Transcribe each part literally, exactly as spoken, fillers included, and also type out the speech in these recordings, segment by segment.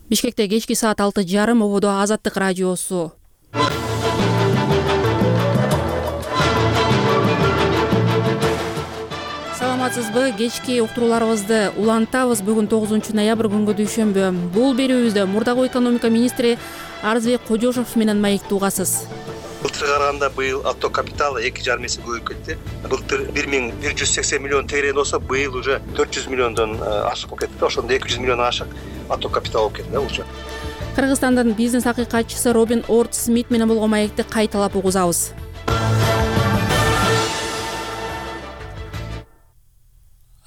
Бишкекте кечки саат алты жарым ободо Азаттык радиосу. Саламатсызбы? Кечки уктурууларыбызды улантабыз. Бүгүн тогузунчу ноябрь күнгө дүйшөмбү. Бул берүүбүздө мурдагы экономика министри Арызбек Кожошов менен маектүү угасыз. Былтырга караганда быйыл отток капиталы эки жарым эсе көбөйүп кетти. Былтыр бир миң бир жүз сексен миллион тегерен болсо, быйыл уже төрт жүз миллиондон ашык болуп кетти. Ошондо эки жүз миллион ашык отток капитал болуп кетти да уже. Кыргызстандын бизнес акыйкатчысы Робин Орт Смит менен болгон маекти кайталап угузабыз.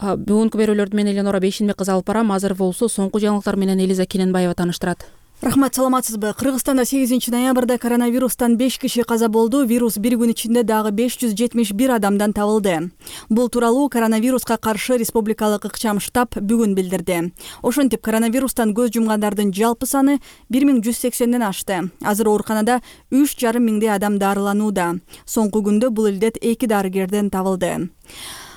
Бүгүнкү берүүлөрдү мен Эленора Бейшенбек кызы алып барам. Азыр болсо соңку жаңылыктар менен Элиза Кененбаева тааныштырат. Рахмат, саламатсызбы? Кыргызстанда сегизинчи ноябрда коронавирустан беш киши каза болду. Вирус бир күн ичинде дагы беш жүз жетимиш бир адамдан табылды. Бул тууралуу коронавируска каршы республикалык ыкчам штаб бүгүн билдирди. Ошентип, коронавирустан көз жумгандардын жалпы саны бир миң жүз сексенден ашты. Азыр ооруканада үч жарым миңдей адам дарыланууда. Соңку күндө бул илдет эки дарыгерден табылды.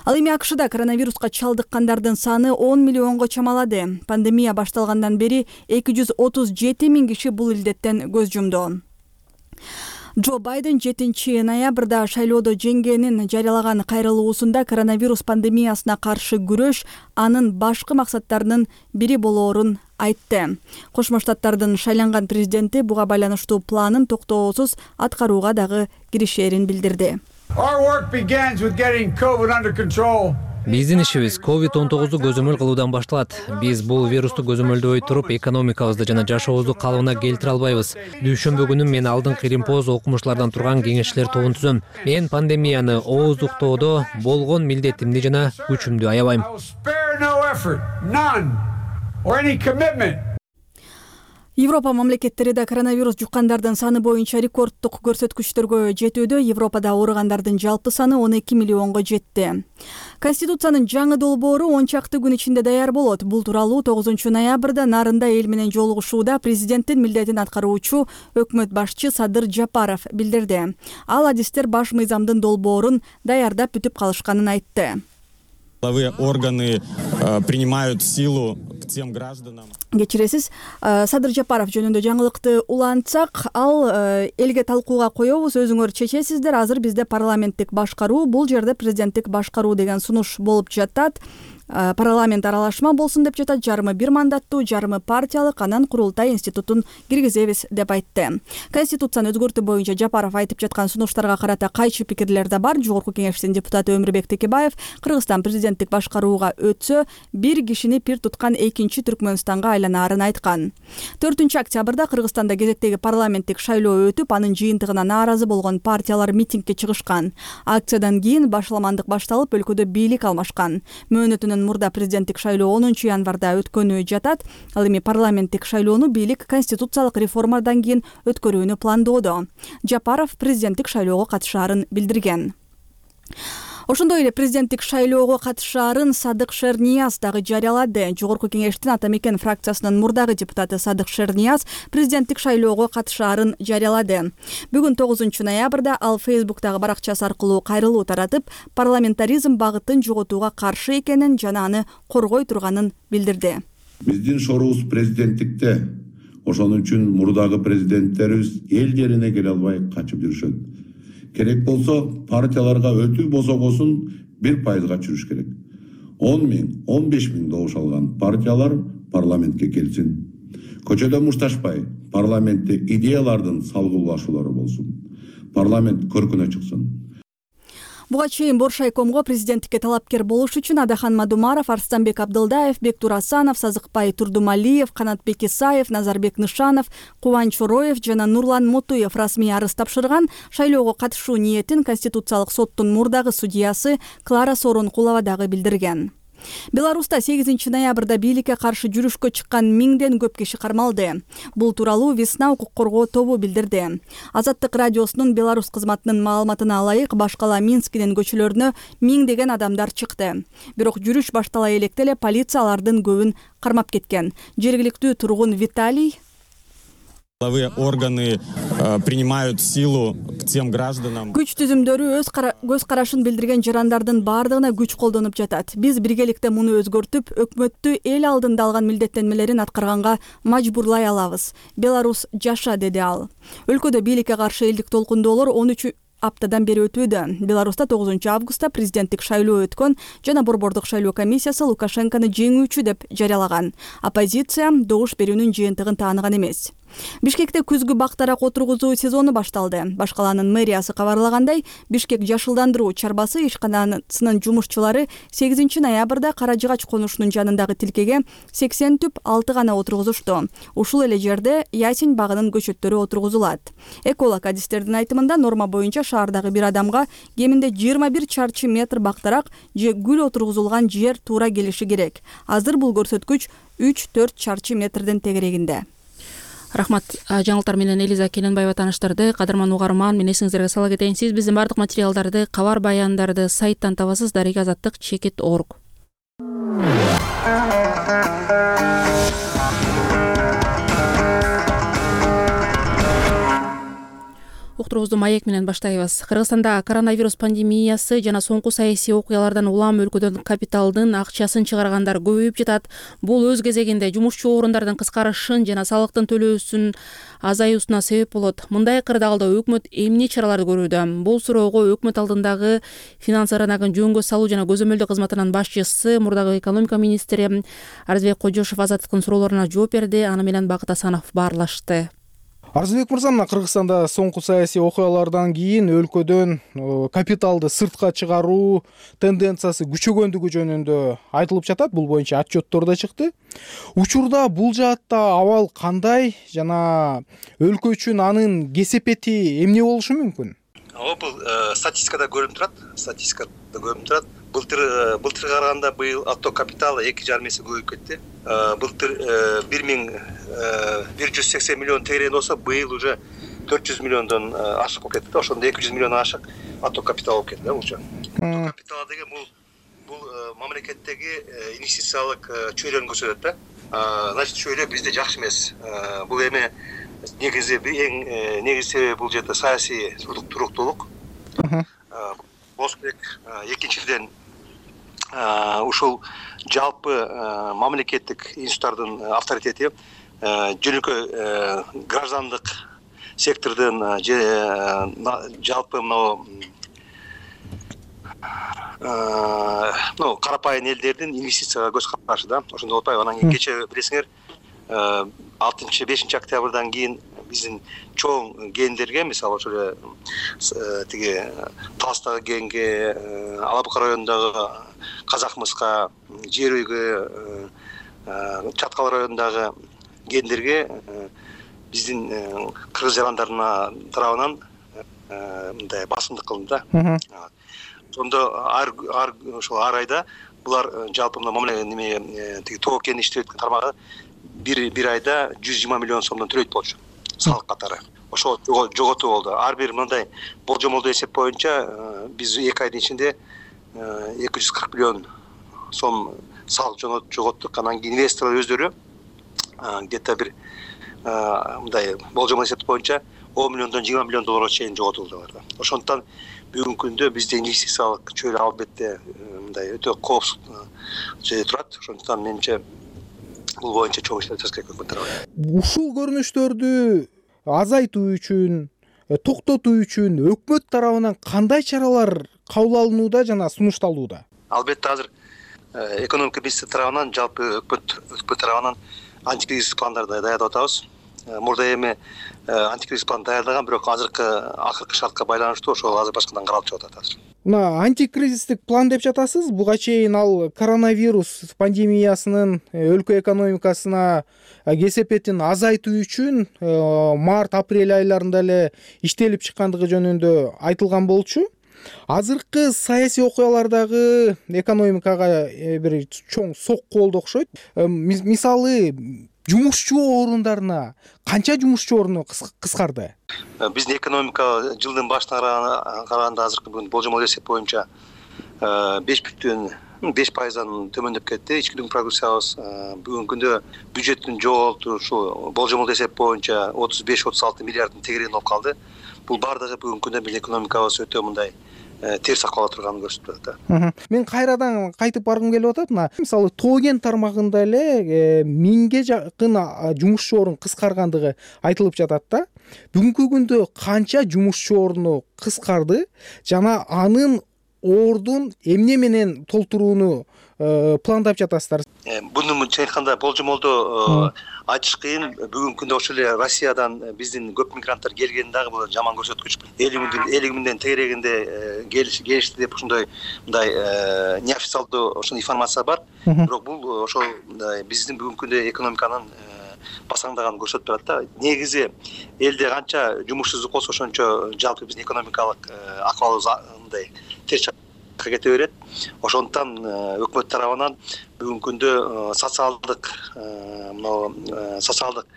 Ал эми АКШда коронавируска чалдыккандардын саны он миллионго чамалады. Пандемия башталгандан бери эки жүз отуз жети миң киши бул илдеттен көз жумду. Джо Байден жетинчи ноябрда шайлоодо жеңгенин жарыялаган кайрылуусунда коронавирус пандемиясына каршы күрөш анын башкы максаттарынын бири болоорун айтты. Кошмо Штаттардын шайланган президенти буга байланыштуу планын токтоосуз аткарууга дагы киришерин билдирди. Биздин ишибиз ковид он тогузду көзөмөл кылуудан башталат. Биз бул вирусту көзөмөлдөбөй туруп, экономикабызды жана жашообузду калыбына келтире албайбыз. Дүйшөмбү күнү мен алдыңкы Римпоз окумуштуулардан турган кеңешчилер тобун түзөм. Мен пандемияны ооздуктоодо болгон милдетимди жана күчүмдү аябайм. Европа мамлекеттери да коронавирус жуккандардын саны боюнча рекордтук көрсөткүчтөргө жетүүдө. Европада ооругандардын жалпы саны он эки миллионго жетти. Конституциянын жаңы долбоору он чакты күн ичинде даяр болот. Бул тууралуу тогузунчу ноябрда Нарында эл менен жолугушууда президенттин милдетин аткаруучу өкмөт башчы Садыр Жапаров билдирди. Ал адистер баш мыйзамдын долбоорун даярдап бүтүп калышканын айтты. Органы принимают силу к тем гражданам. Кечиресиз, Садыр Жапаров жөнүндө жаңылыкты улантсак, ал элге талкууга коебуз, өзүңөр чечесиздер. Азыр бизде парламенттик башкаруу, бул жерде президенттик башкаруу деген сунуш болуп жатат. Парламент аралашма болсун деп жатат. Жарымы бир мандаттуу, жарымы партиялык, анан курултай институтун киргизебиз деп айтты. Конституцияны өзгөртүү боюнча Жапаров айтып жаткан сунуштарга карата кайчы пикирлер да бар. Жогорку кеңештин депутаты Өмүрбек Текебаев Кыргызстан президенттик башкарууга өтсө, бир кишини пир туткан экинчи Түркмөнстанга айланаарын айткан. төртүнчү октябрда Кыргызстанда кезектеги парламенттик шайлоо өтүп, анын жыйынтыгына нааразы болгон партиялар митингге чыгышкан. Акциядан кийин башаламандык башталып, өлкөдө бийлик алмашкан. Мөөнөтүнөн мурда президенттик шайлоо онунчу январда өткөнү жатат. Ал эми парламенттик шайлоону бийлик конституциялык реформадан кийин өткөрүүнү пландоодо. Жапаров президенттик шайлоого катышаарын билдирген. Ошондой эле президенттик шайлоого катышаарын Садык Шернияз дагы жарыялады. Жогорку кеңештин Ата Мекен фракциясынын мурдагы депутаты Садык Шернияз президенттик шайлоого катышаарын жарыялады. Бүгүн тогузунчу ноябрда ал Фейсбуктагы баракчасы аркылуу кайрылуу таратып, парламентаризм багытын жоготууга каршы экенин жана аны коргой турганын билдирди. Биздин шоруубуз президенттикте. Ошон үчүн мурдагы президенттерибиз эл жерине келе албай качып жүрүшөт. Керек болсо партияларга өтүү босогосун бир пайызга чүрүш керек. он миң, он беш миң добуш алган партиялар парламентке келсин. Көчөдө мушташпай, парламентте идеялардын салгылашуулары болсун. Парламент көркүнө чыксын. Буга чейин Боршайкомго президенттикке талапкер болуш үчүн Адахан Мадумаров, Арстанбек Абдылдаев, Бектур Асанов, Сазыкбай Турдумалиев, Канатбек Исаев, Назарбек Нышанов, Кубан Чороев жана Нурлан Мотуев расмий арыз тапшырган. Шайлоого катышуу ниетин Конституциялык соттун мурдагы судьясы Клара Сооронкулова дагы билдирген. Беларуста сегизинчи ноябрда бийликке каршы жүрүшкө чыккан миңден көп киши кармалды. Бул тууралуу Весна укук коргоо тобу билдирди. Азаттык радиосунун Беларусь кызматынын маалыматына ылайык, башкала Минскинин көчөлөрүнө миңдеген адамдар чыкты. Бирок жүрүш баштала электе эле полиция алардын көбүн кармап кеткен. Жергиликтүү тургун Виталий Силовые органы принимают силу к тем гражданам. Күч түзүмдөрү өз көз карашын билдирген жарандардын баардыгына күч колдонуп жатат. Биз биргеликте муну өзгөртүп, өкмөттү эл алдында алган милдеттенмелерин аткарганга мажбурлай алабыз. Беларус жаша, деди ал. Өлкөдө бийликке каршы элдик толкундоолор он үч аптадан бери өтүүдө. Беларуста тогузунчу августта президенттик шайлоо өткөн жана борбордук шайлоо комиссиясы Лукашенкону жеңүүчү деп жарыялаган. Оппозиция добуш берүүнүн жыйынтыгын тааныган эмес. Бишкекте күзгү бактарак отургузуу сезону башталды. Башкаланын мэриясы кабарлагандай, Бишкек жашылдандыруу чарбасы ишканасынын жумушчулары сегизинчи ноябрда Кара Жыгач конушунун жанындагы тилкеге сексен түп алты гана отургузушту. Ушул эле жерде Ясень багынын көчөттөрү отургузулат. Эколог адистердин айтымында норма боюнча шаардагы бир адамга кеминде жыйырма бир чарчы метр бактарак же гүл отургузулган жер туура келиши керек. Азыр бул көрсөткүч үч төрт чарчы метрдин тегерегинде. Рахмат. Жаңылыктар менен Элиза Келенбаева тааныштырды. Кадырман угарман, мен эсиңиздерге сала кетейин. Сиз биздин бардык материалдарды, кабар баяндарды сайттан табасыз. Дарега азаттык чекит точка орг. Уктуруубузду маек менен баштайбыз. Кыргызстанда коронавирус пандемиясы жана соңку саясий окуялардан улам өлкөдөн капиталдын акчасын чыгаргандар көбөйүп жатат. Бул өз кезегинде жумушчу орундардын кыскарышын жана салыктын төлөөсүн азаюусуна себеп болот. Мындай кырдаалда өкмөт эмне чараларды көрүүдө? Бул суроого өкмөт алдындагы финанс рыногун жөнгө салуу жана көзөмөлдөө кызматынын башчысы, мурдагы экономика министри Арзбек Кожошов Азаттыктын суроолоруна жооп берди. Аны менен Бакыт Асанов баарлашты. Арзбек мырза, мына Кыргызстанда соңку саясий окуялардан кийин өлкөдөн капиталды сыртка чыгаруу тенденциясы күчөгөндүгү жөнүндө айтылып жатат. Бул боюнча отчеттор да чыкты. Учурда бул жаатта абал кандай жана өлкө үчүн анын кесепети эмне болушу мүмкүн? Ооба, бул статистикада көрүнүп турат. Статистикада көрүнүп турат. Былтыр былтырга караганда быйыл отток капиталы эки жарым эсе көбөйүп кетти. Былтыр бир миң бир жүз сексен миллион тегерен болсо, быйыл уже төрт жүз миллиондон ашык болуп кетти. Ошондо эки жүз миллион ашык отток капитал болуп кетти, бул. Отток капитал деген бул бул мамлекеттеги инвестициялык чөйрөнү көрсөтөт да. Значит, чөйрө бизде жакшы эмес. Бул эми негизи эң негизи себеби бул жерде саясий туруктуулук. Болуш керек. Экинчиден ушул жалпы мамлекеттик институттардын авторитети жөнөкөй граждандык сектордун жалпы мына ну карапайым элдердин инвестицияга көз карашы да. Ошондой болуп атпайбы? Анан кийин кече билесиңер алтынчы бешинчи октябрдан кийин биздин чоң кендерге, мисалы ошо эле тиги Таластагы кенге, Алабука районундагы Казакмыска, Жер үйгө, Чаткал районундагы кендерге биздин кыргыз жарандарына тарабынан мындай басымдык кылынды да. Ошондо ар ошол ар айда булар жалпы мына неме тиги тоо кен иштеп аткан тармагы бир бир айда жүз жыйырма миллион сомдон төлөйт болчу. Салык катары. Ошол жоготуу болду. Ар бир мындай болжомолдуу эсеп боюнча биз эки айдын ичинде эки жүз кырк миллион сом салык жоготтук. Анан кийин инвесторлор өздөрү где-то бир мындай болжомол эсеп боюнча он миллиондон жыйырма миллион долларга чейин жоготулдулар да. Ошондуктан бүгүнкү күндө бизде инвестициялык чөйрө албетте мындай өтө коопсуз жерде турат. Ошондуктан менимче бул боюнча чоң иштер жасаш керек өкмөт тарабынан. Ушул көрүнүштөрдү азайтуу үчүн, токтотуу үчүн өкмөт тарабынан кандай чаралар кабыл алынууда жана сунушталууда? Албетте азыр экономика министри тарабынан, жалпы өкмөт өкмөт тарабынан антикризис пландарды даярдап атабыз. Мурда эми антикризис план даярдаган, бирок азыркы акыркы шартка байланыштуу ошол азыр башкадан каралып чыгып атат азыр. Мына антикризистик план деп жатасыз. Буга чейин ал коронавирус пандемиясынын өлкө экономикасына кесепетин азайтуу үчүн март апрель айларында эле иштелип чыккандыгы жөнүндө айтылган болчу. Азыркы саясий окуялардагы экономикага бир чоң сокку болду окшойт. Мисалы, жумушчу орундарына канча жумушчу орunu кыскарды? Биздин экономика жылдын башына караганда азыркы бүгүн болжомол эсеп боюнча беш бүтүн беш пайыздан төмөндөп кетти. Ички продукциябыз бүгүнкү күндө бюджеттин жоголту ушул болжомол эсеп боюнча отуз беш отуз алты миллиарддын тегерегинде болуп калды. Бул бардыгы бүгүнкү күндө биздин экономикабыз өтө мындай терс акыбалда турганын көрсөтүп атат да. Мен кайрадан кайтып баргым келип атат. Мына мисалы тоо кен тармагында эле миңге жакын жумушчу орун кыскаргандыгы айтылып жатат да. Бүгүнкү күндө канча жумушчу орну кыскарды жана анын ордун эмне менен толтурууну пландап жатасыздар? Буну чын айтканда болжомолдо айтыш кыйын. Бүгүнкү күндө ошол эле Россиядан биздин көп мигранттар келгени дагы бул жаман көрсөткүч. элүү миңден тегерегинде келишти деп ошондой мындай неофициалдуу ошол информация бар. Бирок бул ошол биздин бүгүнкү күндө экономиканын басаңдаганын көрсөтүп турат да. Негизи элде канча жумушсуздук болсо ошончо жалпы биздин экономикалык акыбалыбыз мындай терс кете берет. Ошондуктан өкмөт тарабынан бүгүнкү күндө социалдык мына социалдык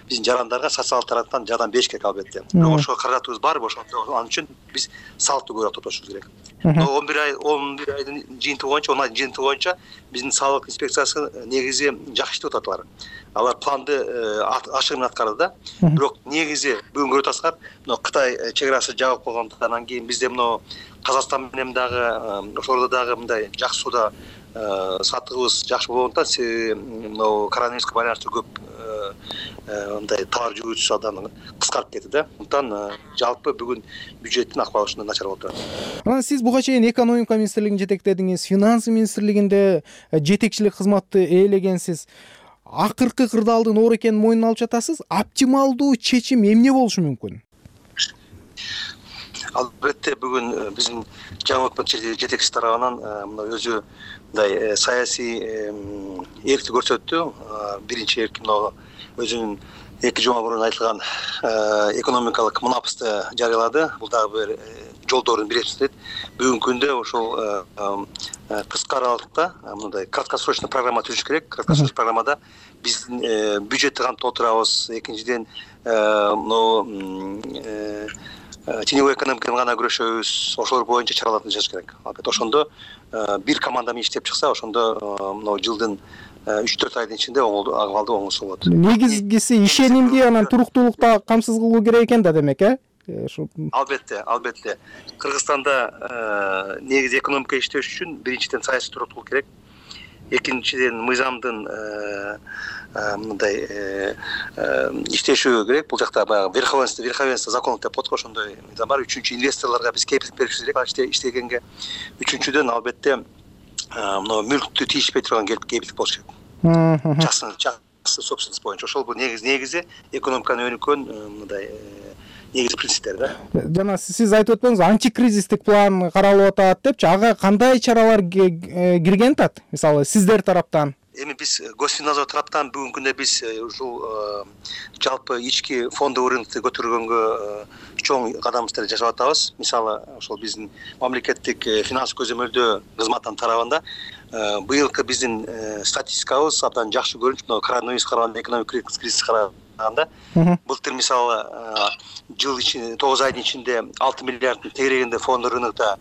биздин жарандарга социалдык тараптан жардам бериш керек албетте. Бирок ошого каражатыбыз барбы? Ошондо анын үчүн биз салыктуу көбүрөөк тотошубуз керек. он бир ай он бир айдын жыйынтыгы боюнча, он айдын жыйынтыгы боюнча биздин салык инспекциясы негизи жакшы иштеп атат алар. Алар планды ашык менен аткарды да. Бирок негизи бүгүн көрүп атасыздар, мына Кытай чек арасы жабык болгондуктан кийин бизде мына Казакстан менен дагы ошолордо дагы мындай жакшы сууда сатыгыбыз жакшы болгондуктан себеби мына коронавируска байланыштуу көп мындай товар жүргүзүүчү саудадан кыскарып кетти да. Ошондуктан жалпы бүгүн бюджеттин акыбалы ушундай начар болуп турат. Анан сиз буга чейин экономика министрлигин жетектедиңиз, финансы министрлигинде жетекчилик кызматты ээлегенсиз. Акыркы кырдаалдын оор экенин мойнуна алып жатасыз. Оптималдуу чечим эмне болушу мүмкүн? Албетте бүгүн биздин жаңы өкмөт жетекчиси тарабынан мына өзү мындай саясий эркти көрсөттү. Биринчи эрки мына өзүнүн эки жума мурун айтылган экономикалык мунапысты жарыялады. Бул дагы бир жолдордун бириси. Бүгүнкү күндө ошол кыска аралыкта мындай краткосрочный программа түзүш керек. Краткосрочный программада биздин бюджетти кантип толтурабыз, экинчиден мына теневой экономиканы гана күрөшөбүз, ошолор боюнча чараларды жасаш керек. Албетте ошондо бир команда менен иштеп чыкса, ошондо мына жылдын үч төрт айдын ичинде акыбалдуу оңосу болот. Негизгиси ишенимди анан туруктуулукта камсыз кылуу керек экен да, демек, э? Албетте, албетте. Кыргызстанда негизи экономика иштеш үчүн биринчиден саясий туруктуулук керек. Экинчиден мыйзамдын мындай иштеши керек. Бул жакта баягы верховенство, верховенство законов деп коет го, ошондой мыйзам бар. Үчүнчү, инвесторлорго биз кепилдик беришибиз керек ал иштегенге. Үчүнчүдөн албетте мына мүлктү тийишпей турган кепилдик болуш керек. Частный собственность боюнча. Ошол бул негизи негизи экономиканы өнүккөн мындай негизи принциптер да. Жана сиз айтып өтпөңүз, антикризистик план каралып атат депчи, ага кандай чаралар кирген атат? Мисалы, сиздер тараптан? Эми биз Госфиннадзор тараптан бүгүнкү күндө биз ушул жалпы ички фондовый рынокты көтөргөнгө чоң кадам жасап атабыз. Мисалы, ошол биздин мамлекеттик финанс көзөмөлдөө кызматтын тарабында быйылкы биздин статистикабыз абдан жакшы көрүнүп, мына коронавирус караганда, экономикалык кризис караганда былтыр мисалы жыл ичинде тогуз айдын ичинде алты миллиарддын тегерегинде фонддук рынокто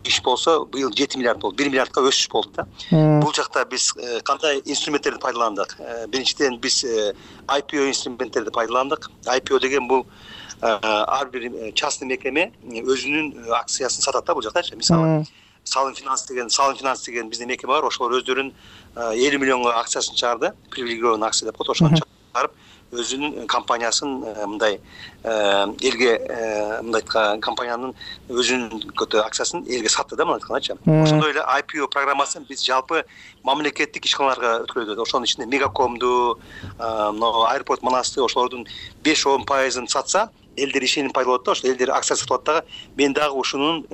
иш болсо, быйыл жети миллиард болду, бир миллиардка өсүш болду да. Бул жакта биз кандай инструменттерди пайдаландык? Биринчиден биз ай пи о инструменттерди пайдаландык. ай пи о деген бул ар бир частный мекеме өзүнүн акциясын сатат да бул жактачы. Мисалы, Салым финанс деген, Салым финанс деген биздин мекеме бар, ошолор өздөрүнүн элүү миллионго акциясын чыгарды, привилегированный акция деп коет, ошону чыгарып өзүнүн компаниясын мындай элге мындай компаниянын өзүнүн акциясын элге сатты да, мындай айткандачы. Ошондой эле ай пи о программасын биз жалпы мамлекеттик ишканаларга өткөрөбүз. Ошонун ичинде Мегакомду, Аэропорт Манасты, ошолордун беш он пайызын сатса, элдер ишеним пайда болот да, ошол элдер акция сатып атат дагы. Мен дагы ушунун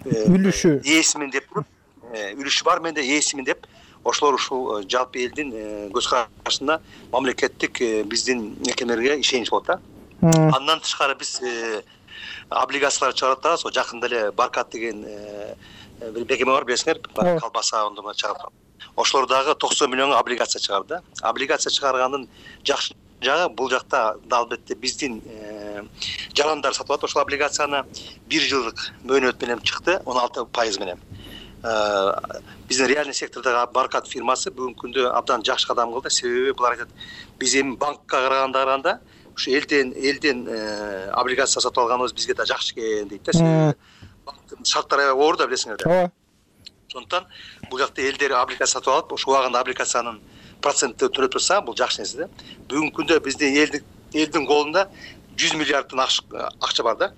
үлүшү ээсимин деп туруп, үлүшү бар, менде ээсимин деп, ошолор ушул жалпы элдин көз карашында мамлекеттик биздин мекемелерге ишенич болот да. Андан тышкары биз облигациялар чыгарып атабыз. Жакында эле Баркат деген бир мекеме бар, билесиңер, колбаса ондомо чыгарып. Ошолор дагы токсон миллионго облигация чыгарды да. Облигация чыгаргандын жакшы жагы бул жакта албетте биздин жарандар сатып алат ошол облигацияны. Бир жылдык мөөнөт менен чыкты, он алты пайыз менен. биздин реальный сектордогу Баркат фирмасы бүгүнкү күндө абдан жакшы кадам кылды. Себеби булар айтат, биз эми банкка караганда караганда ушу элден элден облигация сатып алганыбыз бизге да жакшы экен дейт да. Себеби банктын шарттары аябай оор да, билесиңер да. ооба. Ошондуктан бул жакта элдер облигация сатып алып, ошол убагында облигациянын проценти төлөп турса, бул жакшы нерсе да. Бүгүнкү күндө биздин элдин элдин колунда жүз миллиардтын акча бар да.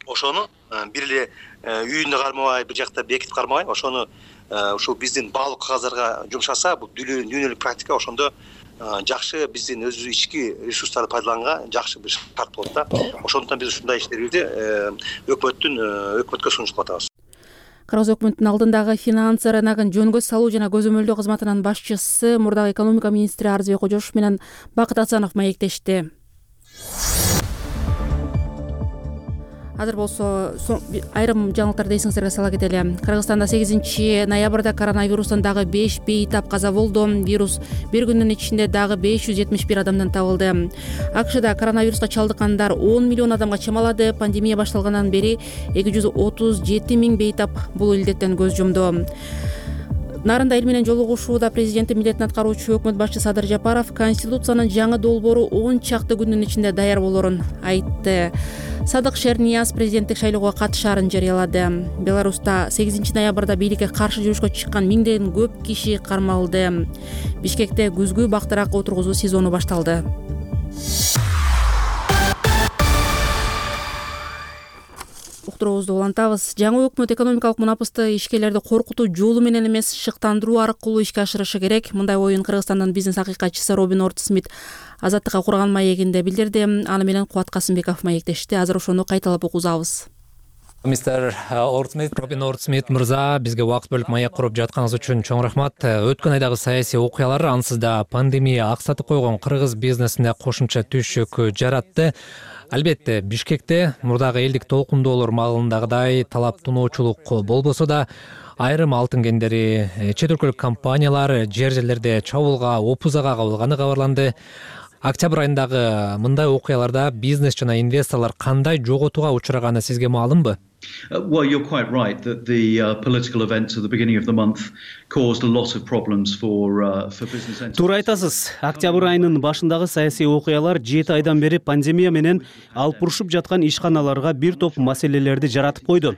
Ошону бир эле үйүндө кармабай, бир жакта бекитип кармабай, ошону ушул биздин баалуу кагаздарга жумшаса, бул дүйнөлүк практика, ошондо жакшы биздин өзүбүздүн ички ресурстарды пайдаланганга жакшы бир шарт болот да. Ошондуктан биз ушундай иштерди өкмөттүн өкмөткө сунуштап атабыз. Кыргыз өкмөтүнүн алдындагы финансы рыногун жөнгө салуу жана көзөмөлдөө кызматынын башчысы, мурдагы экономика министри Арызбек Кожошов менен Бакыт Асанов маектешти. Азыр болсо айрым жаңылыктарды эсиңиздерге сала кетели. Кыргызстанда сегизинчи ноябрда коронавирустан дагы беш бейтап каза болду. Вирус бир күндүн ичинде дагы беш жүз жетимиш бир адамдан табылды. АКШда коронавируска чалдыккандар он миллион адамга чамалады. Пандемия башталгандан бери эки жүз отуз жети миң бейтап бул илдеттен көз жумду. Нарында эл менен жолугушууда президенттин милдетин аткаруучу өкмөт башчысы Садыр Жапаров Конституциянын жаңы долбоору он чакты күндүн ичинде даяр болорун айтты. Садык Шернияз президенттик шайлоого катышаарын жарыялады. Беларуста сегизинчи ноябрда бийликке каршы жүрүшкө чыккан миңден көп киши кармалды. Бишкекте күзгү бактырак отургузуу сезону башталды. Уктуруубузду улантабыз. Жаңы өкмөт экономикалык мунапысты ишкерлерди коркутуу жолу менен эмес, шыктандыруу аркылуу ишке ашырышы керек. Мындай оюн Кыргызстандын бизнес акыйкатчысы Робин Ортсмит Азаттыкка курган маегинде билдирди. Аны менен Кубат Касымбеков маектешти. Азыр ошону кайталап угузабыз. Мистер Ортсмит, Робин Ортсмит мырза, бизге убакыт бөлүп маек куруп жатканыңыз үчүн чоң рахмат. Өткөн айдагы саясий окуялар, ансыз да пандемия аксатып койгон кыргыз бизнесине кошумча түшүк жаратты. Албетте, Бишкекте мурдагы элдик толкундоолор маалындагыдай талап туноочулук болбосо да, айрым алтын кендери, чет өлкөлүк компаниялар жер жерлерде чабуулга, опузага кабылганы кабарланды. Октябрь айындагы мындай окуяларда бизнес жана инвесторлор кандай жоготууга учураганы сизге маалымбы? Well, you're quite right that the uh, political events at the beginning of the month caused a lot of problems for uh, for business entities. Туура айтасыз. Октябрь айынын башындагы саясий окуялар жети айдан бери пандемия менен алып урушуп жаткан ишканаларга бир топ маселелерди жаратып койду.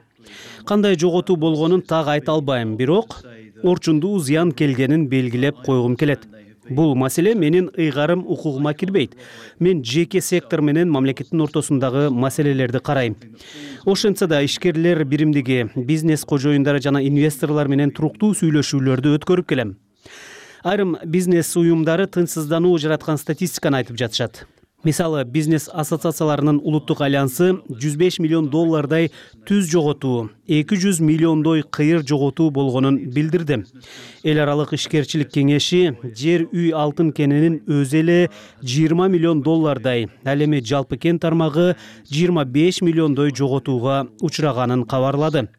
Кандай жоготуу болгонун так айта албайм, бирок орчундуу зыян келгенин белгилеп койгум келет. Бул маселе менин ыйгарым укугума кирбейт. Мен жеке сектор менен мамлекеттин ортосундагы маселелерди карайм. Ошентсе да ишкерлер биримдиги, бизнес кожоюндары жана инвесторлор менен туруктуу сүйлөшүүлөрдү өткөрүп келем. Айрым бизнес уюмдары тынчсыздануу жараткан статистиканы айтып жатышат. Мисалы, бизнес ассоциацияларынын улуттук альянсы жүз беш миллион доллардай түз жоготуу, эки жүз миллиондой кыйыр жоготуу болгонун билдирди. Эл аралык ишкерчилик кеңеши жер үй алтын кененин өзү эле жыйырма миллион доллардай, ал эми жалпы кен тармагы жыйырма беш миллиондой жоготууга учураганын кабарлады.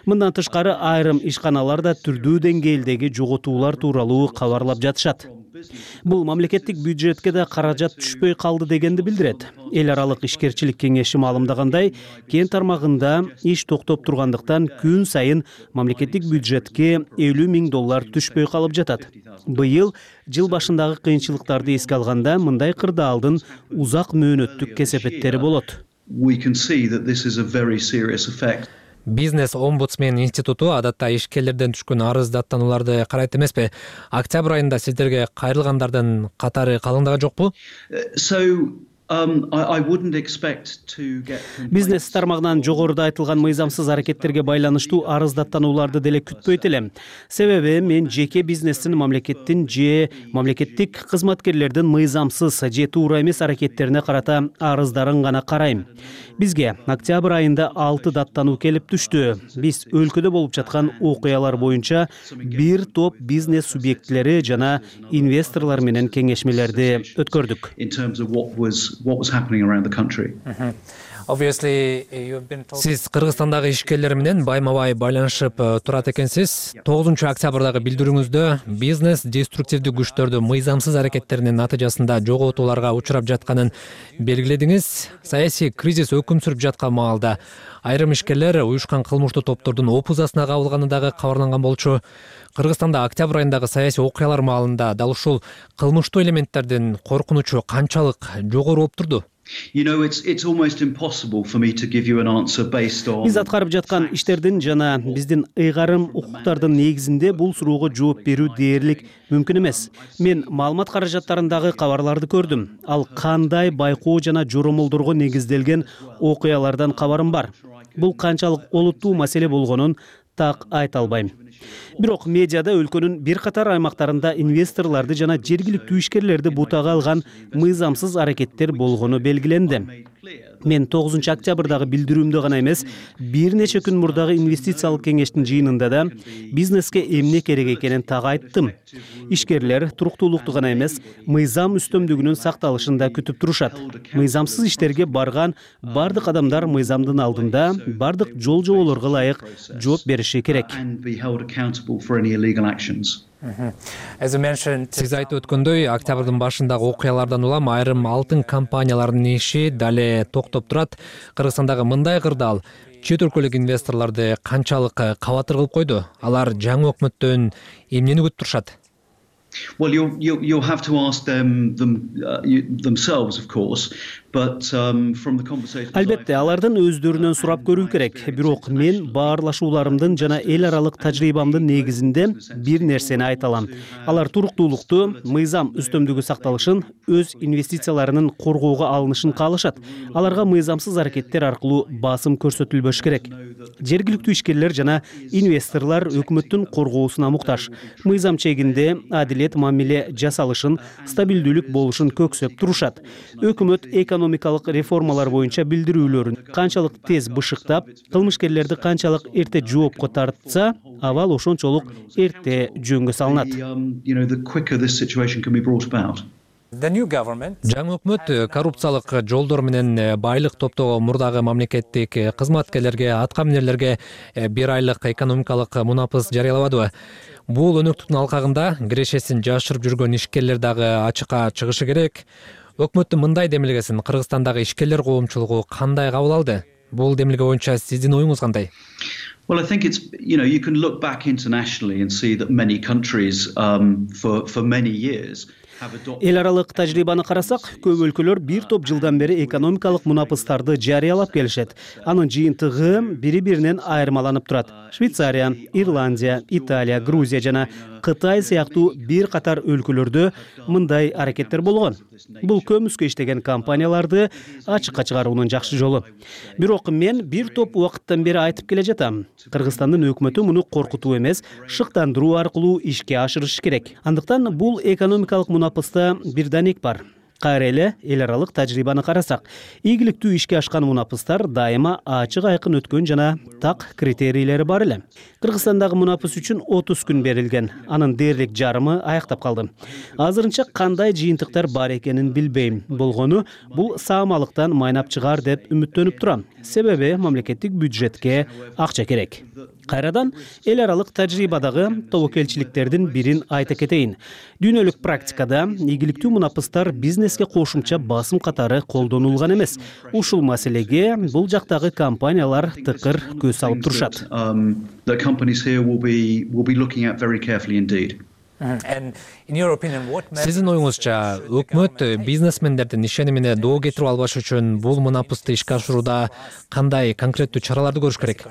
Мындан тышкары айрым ишканалар да түрдүү деңгээлдеги жоготуулар тууралуу кабарлап жатышат. Бул мамлекеттик бюджетке да каражат түшпөй калды дегенди билдирет. Эл аралык ишкерчилик кеңеши маалымдагандай, кен тармагында иш токтоп тургандыктан күн сайын мамлекеттик бюджетке элүү миң доллар түшпөй калып жатат. Быйыл жыл башындагы кыйынчылыктарды эске алганда мындай кырдаалдын узак мөөнөттүк кесепеттери болот. Бизнес омбудсмен институту адатта ишкерлерден түшкөн арыз даттанууларды карайт эмеспи? Октябрь айында сиздерге кайрылгандардын катары калыңдага жокпу? Бизнес тармагынан жогоруда айтылган мыйзамсыз аракеттерге байланыштуу арыз даттанууларды деле күтпөйт элем. Себеби мен жеке бизнестин мамлекеттин же мамлекеттик кызматкерлердин мыйзамсыз же туура эмес аракеттерине карата арыздарын гана карайм. Бизге октябрь айында алты даттануу келип түштү. Биз өлкөдө болуп жаткан окуялар боюнча бир топ бизнес субъектилери жана инвесторлор менен кеңешмелерди өткөрдүк. What was happening around the country. Сиз Кыргызстандагы ишкерлер менен байма бай байланышып турат экенсиз. тогузунчу октябрдагы билдирүүңүздө бизнес деструктивдүү күчтөрдү мыйзамсыз аракеттеринин натыйжасында жоготууларга учурап жатканын белгиледиңиз. Саясий кризис өкүм сүрүп жаткан маалда айрым ишкерлер уюшкан кылмыштуу топтордун опузасына кабылганы дагы кабарланган болчу. Кыргызстанда октябрь айындагы саясий окуялар маалында дал ушул кылмыштуу элементтердин коркунучу канчалык жогору болуп турду? You know, it's it's almost impossible for me to give you an answer based on. Биз аткарып жаткан иштердин жана биздин ыйгарым укуктардын негизинде бул суроого жооп берүү дээрлик мүмкүн эмес. Мен маалымат каражаттарындагы кабарларды көрдүм. Ал кандай байкоо жана жоромолдорго негизделген окуялардан кабарым бар. Бул канчалык олуттуу маселе болгонун так айта албайм. Бирок медиада өлкөнүн бир катар аймактарында инвесторлорду жана жергиликтүү ишкерлерди бутага алган мыйзамсыз аракеттер болгону белгиленди. Мен тогузунчу октябрдагы билдирүүмдө гана эмес, бир нече күн мурдагы инвестициялык кеңештин жыйынында да бизнеске эмне керек экенин так айттым. Ишкерлер туруктуулукту гана эмес, мыйзам үстөмдүгүнүн сакталышын да күтүп турушат. Мыйзамсыз иштерге барган бардык адамдар мыйзамдын алдында бардык жол жоболорго ылайык жооп бериши керек. Сиз айтып өткөндөй, октябрдын башындагы окуялардан улам айрым алтын компанияларынын иши дале токтоп турат. Кыргызстандагы мындай кырдаал чет өлкөлүк инвесторлорду канчалык кабатыр кылып койду? Алар жаңы өкмөттөн эмнени күтүп турушат? Well, you'll, you'll, you'll have to ask them, them uh, you, themselves, of course. But um, from the conversations Албетте, алардын өздөрүнөн сурап көрүү керек. Бирок мен баарлашууларымдын жана эл аралык тажрыйбамдын негизинде бир нерсени айта алам. Алар туруктуулукту, мыйзам үстөмдүгү сакталышын, өз инвестицияларынын коргоого алынышын каалашат. Аларга мыйзамсыз аракеттер аркылуу басым көрсөтүлбөш керек. Жергиликтүү ишкерлер жана инвесторлор өкмөттүн коргоосуна муктаж. Мыйзам чегинде адилет мамиле жасалышын, стабилдүүлүк болушун көксөп турушат. Өкмөт экономикалык реформалар боюнча билдирүүлөрүн канчалык тез бышыктап, кылмышкерлерди канчалык эрте жоопко тартса, абал ошончолук эрте жөнгө салынат. Жаңы өкмөт коррупциялык жолдор менен байлык топтогон мурдагы мамлекеттик кызматкерлерге, аткаминерлерге бир айлык экономикалык мунапыс жарыялабадыбы? Бул өнөктүктүн алкагында кирешесин жашырып жүргөн ишкерлер дагы ачыкка чыгышы керек. Өкмөттүн мындай демилгесин Кыргызстандагы ишкерлер коомчулугу кандай кабыл алды? Бул демилге боюнча сиздин оюңуз кандай? Well, I think it's, you know, you can look back internationally and see that many countries um, for, for many years Эл аралык тажрыйбаны карасак, көп өлкөлөр бир топ жылдан бери экономикалык мунапыстарды жарыялап келишет. Анын жыйынтыгы бири-биринен айырмаланып турат. Швейцария, Ирландия, Италия, Грузия жана Кытай сыяктуу бир катар өлкөлөрдө мындай аракеттер болгон. Бул көмүскө иштеген компанияларды ачыкка чыгаруунун жакшы жолу. Бирок мен бир топ убакыттан бери айтып келе жатам. Кыргызстандын өкмөтү муну коркутуу эмес, шыктандыруу аркылуу ишке ашырыш керек. Андыктан бул экономикалык мунапыста бир данек бар. Кайра эле эл аралык тажрыйбаны карасак, ийгиликтүү ишке ашкан мунапыстар дайыма ачык айкын өткөн жана так критерийлери бар эле. Кыргызстандагы мунапыс үчүн отуз күн берилген. Анын дээрлик жарымы аяктап калды. Азырынча кандай жыйынтыктар бар экенин билбейм. Болгону бул саамалыктан майнап чыгар деп үмүттөнүп турам. Себеби мамлекеттик бюджетке акча керек. Кайрадан эл аралык тажрыйбадагы тобокелчиликтердин бирин айта кетейин. Дүйнөлүк практикада ийгиликтүү мунапыстар бизнеске кошумча басым катары колдонулган эмес. Ушул маселеге бул жактагы компаниялар тыкыр көз салып турушат. Сиздин оюңузча, өкмөт бизнесмендердин ишенимине доо кетирип албаш үчүн бул мунапысты ишке ашырууда кандай конкреттүү чараларды көрүш керек?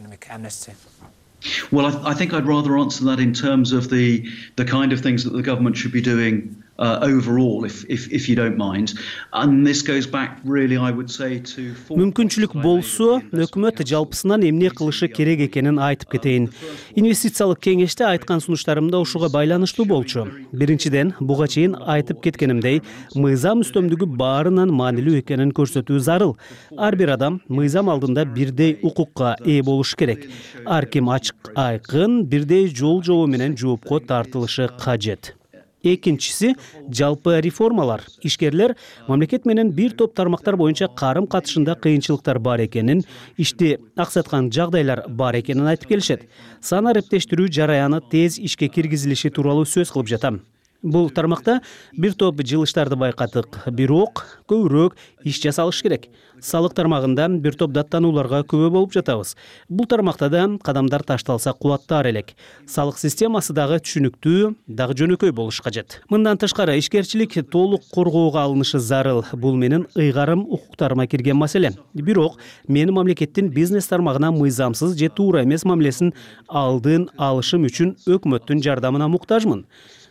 Well, I, I think I'd rather answer that in terms of the the kind of things that the government should be doing uh, overall, if, if if you don't mind. And this goes back really, I would say, to. Мүмкүнчүлүк болсо, өкмөт жалпысынан эмне кылышы керек экенин айтып кетейин. Инвестициялык кеңеште айткан сунуштарымда ушуга байланыштуу болчу. Биринчиден, буга чейин айтып кеткенимдей, мыйзам үстөмдүгү баарынан маанилүү экенин көрсөтүү зарыл. Ар бир адам мыйзам алдында бирдей укукка ээ болуш керек. Ар ким ачык айкын бирдей жол жобо менен жоопко тартылышы кажет. экинчиси жалпы реформалар. Ишкерлер мамлекет менен бир топ тармактар боюнча карым катышында кыйынчылыктар бар экенин, ишти аксаткан жагдайлар бар экенин айтып келишет. Сан арептештирүү жараяны тез ишке киргизилиши тууралуу сөз кылып жатам. Бул тармакта бир топ жылыштарды байкадык, бирок көбүрөөк иш жасалыш керек. Салык тармагында бир топ даттанууларга күбө болуп жатабыз. Бул тармакта да кадамдар ташталса кубаттаар элек. Салык системасы дагы түшүнүктүү, дагы жөнөкөй болуш кажет. Мындан тышкары ишкерчилик толук коргоого алынышы зарыл. Бул менин ыйгарым укуктарыма кирген маселе. Бирок мен мамлекеттин бизнес тармагына мыйзамсыз же туура эмес мамилесин алдын алышым үчүн өкмөттүн жардамына муктажмын.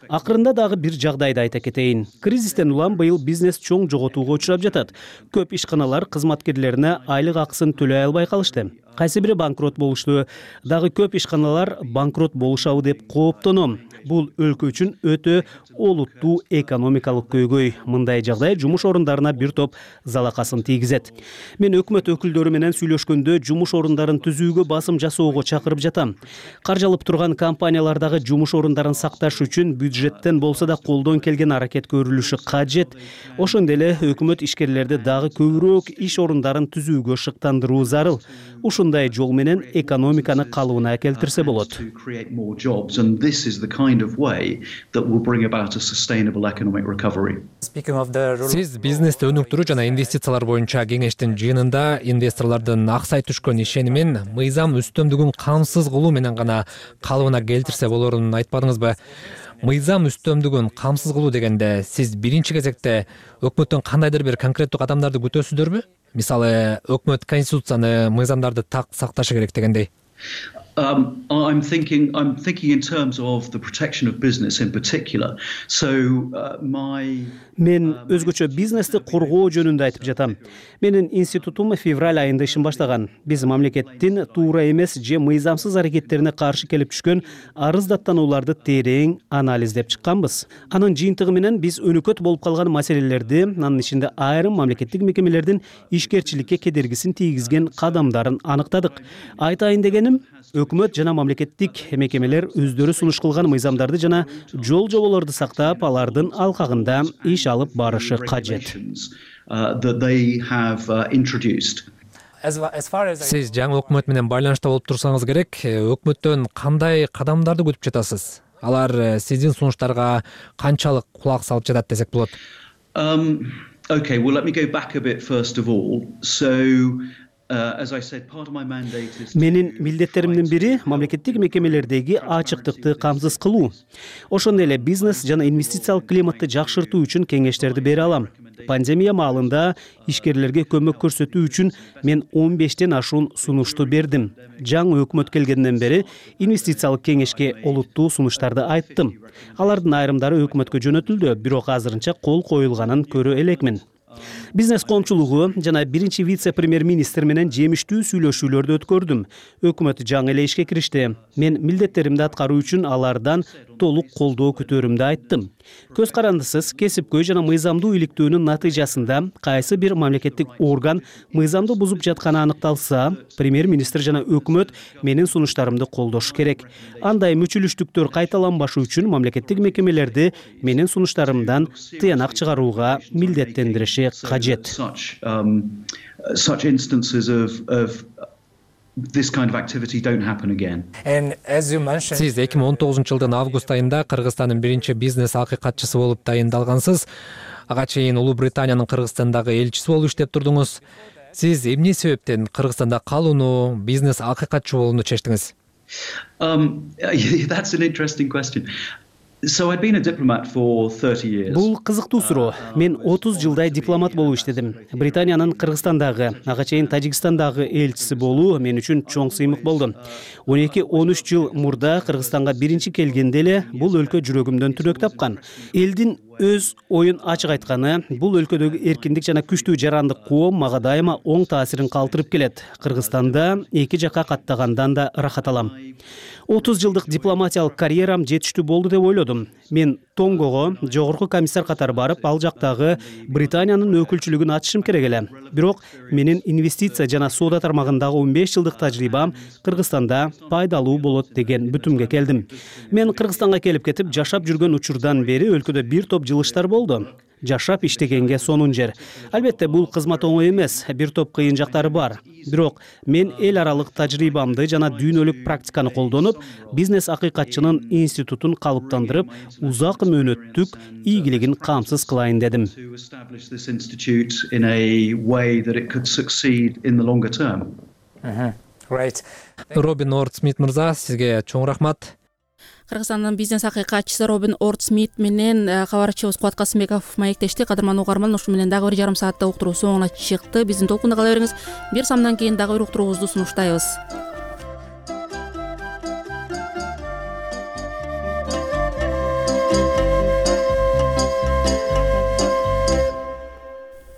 Акырында дагы бир жагдайды айта кетейин. Кризистен улам быйыл бизнес чоң жоготууга учурап жатат. Көп ишканалар кызматкерлерине айлык акысын төлөй албай калышты. Кайсы бири банкрот болушту. Дагы көп ишканалар банкрот болушабы деп кооптоном. Бул өлкө үчүн өтө олуттуу экономикалык көйгөй. Мындай жагдай жумуш орундарына бир топ залакасын тийгизет. Мен өкмөт өкүлдөрү менен сүйлөшкөндө жумуш орундарын түзүүгө басым жасоого чакырып жатам. Каржалып турган компаниялардагы жумуш орундарын сакташ үчүн бюджеттен болсо да колдон келген аракет көрүлүшү кажет. Ошондой эле өкмөт ишкерлерди дагы көбүрөөк иш орундарын түзүүгө шыктандыруу зарыл. Ушундай жол менен экономиканы калыбына келтирсе болот. Сиз бизнести өнүктүрүү жана инвестициялар боюнча кеңештин жыйынында инвесторлордун аксай түшкөн ишенимин мыйзам үстөмдүгүн камсыз кылуу менен гана калыбына келтирсе болорун айтпадыңызбы? Мыйзам үстөмдүгүн камсыз кылуу дегенде сиз биринчи кезекте өкмөттөн кандайдыр бир конкреттүү кадамдарды күтөсүздөрбү? Мисалы, өкмөт конституцияны, мыйзамдарды так сакташы керек дегендей. Um, I'm thinking. I'm thinking in terms of the protection of business in particular. So uh, my. Мен өзгөчө бизнести коргоо жөнүндө айтып жатам. Менин институтум февраль айында ишин баштаган. Биз мамлекеттин туура эмес же мыйзамсыз аракеттерине каршы келип түшкөн арыз даттанууларды терең анализдеп чыкканбыз. Анын жыйынтыгы менен биз өнөкөт болуп калган маселелерди, анын ичинде айрым мамлекеттик мекемелердин ишкерчиликке кедергисин тийгизген кадамдарын аныктадык. Айтайын дегеним, өкмөт жана мамлекеттик мекемелер өздөрү сунуш кылган мыйзамдарды жана жол жоболорду сактап, алардын алкагында иш алып барышы кажет. Сиз жаңы өкмөт менен байланышта болуп турсаңыз керек, өкмөттөн кандай кадамдарды күтүп жатасыз? Алар сиздин сунуштарга канчалык кулак салып жатат десек болот? Um, okay, well let me go back a bit first of all. So Менин милдеттеримдин бири мамлекеттик мекемелердеги ачыктыкты камсыз кылуу. Ошондой эле бизнес жана инвестициялык климатты жакшыртуу үчүн кеңештерди бере алам. Пандемия маалында ишкерлерге көмөк көрсөтүү үчүн мен он бештен ашуун сунушту бердим. Жаңы өкмөт келгенден бери инвестициялык кеңешке олуттуу сунуштарды айттым. Алардын айрымдары өкмөткө жөнөтүлдү, бирок азырынча кол коюлганын көрө элекмин. Бизнес коомчулугу жана биринчи вице-премьер-министр менен жемиштүү сүйлөшүүлөрдү өткөрдүм. Өкмөт жаңы эле ишке киришти. Мен милдеттеримди аткаруу үчүн алардан толук колдоо күтөрүмдү айттым. Көз карандысыз кесипкөй жана мыйзамдуу иликтөөнүн натыйжасында кайсы бир мамлекеттик орган мыйзамды бузуп жатканы аныкталса, премьер-министр жана өкмөт менин сунуштарымды колдошу керек. Андай мүчүлүштүктөр кайталанбашы үчүн мамлекеттик мекемелерди менин сунуштарымдан тыянак чыгарууга милдеттендириши кажет. Such instances of of this kind of activity don't happen again. Сиз эки миң он тогузунчу жылдын август айында Кыргызстандын биринчи бизнес акыйкатчысы болуп тайындалгансыз. Ага чейин Улуу Британиянын Кыргызстандагы элчиси болуп иштеп турдуңуз. Сиз эмне себептен Кыргызстанда калууну, бизнес акыйкатчы болууну чечтиңиз? Um, that's an interesting question. So I'd been a diplomat for thirty years. Бул кызыктуу суроо. Мен отуз жылдай дипломат болуп иштедим. Британиянын Кыргызстандагы, ага чейин Тажикстандагы элчиси болуу мен үчүн чоң сыймык болду. он эки он үч жыл мурда Кыргызстанга биринчи келгенде эле бул өлкө жүрөгүмдөн түнөк тапкан. Элдин өз оюн ачык айтканы, бул өлкөдөгү эркиндик жана күчтүү жарандык коом мага дайыма оң таасирин калтырып келет. Кыргызстанда эки жакка каттагандан да ырахат алам. отуз жылдык дипломатиялык карьерам жетиштүү болду деп ойлодум. Мен Тонгого жогорку комиссар катары барып, ал жактагы Британиянын өкүлчүлүгүн ачышым керек эле. Бирок менин инвестиция жана соода тармагындагы он беш жылдык тажрыйбам Кыргызстанда пайдалуу болот деген бүтүмгө келдим. Мен Кыргызстанга келип кетип жашап жүргөн учурдан бери өлкөдө бир топ жылыштар болду. Жашап иштегенге сонун жер. Албетте бул кызмат оңой эмес, бир топ кыйын жактары бар. Бирок мен эл аралык тажрыйбамды жана дүйнөлүк практиканы колдонуп, бизнес акыйкатчынын институтун калыптандырып, узак мөөнөттүк ийгилигин камсыз кылайын дедим. Робин Орд-Смит мырза, сизге чоң рахмат. Кыргызстандын бизнес акыйкатчысы Робин Орд-Смит менен кабарчыбыз Кубат Касымбеков маектешти. Кадырман угарман, ушу менен дагы бир жарым сааттык уктуруу соңуна чыкты. Биздин толкунда кала бериңиз. Бир самдан кийин дагы бир уктуруубузду сунуштайбыз.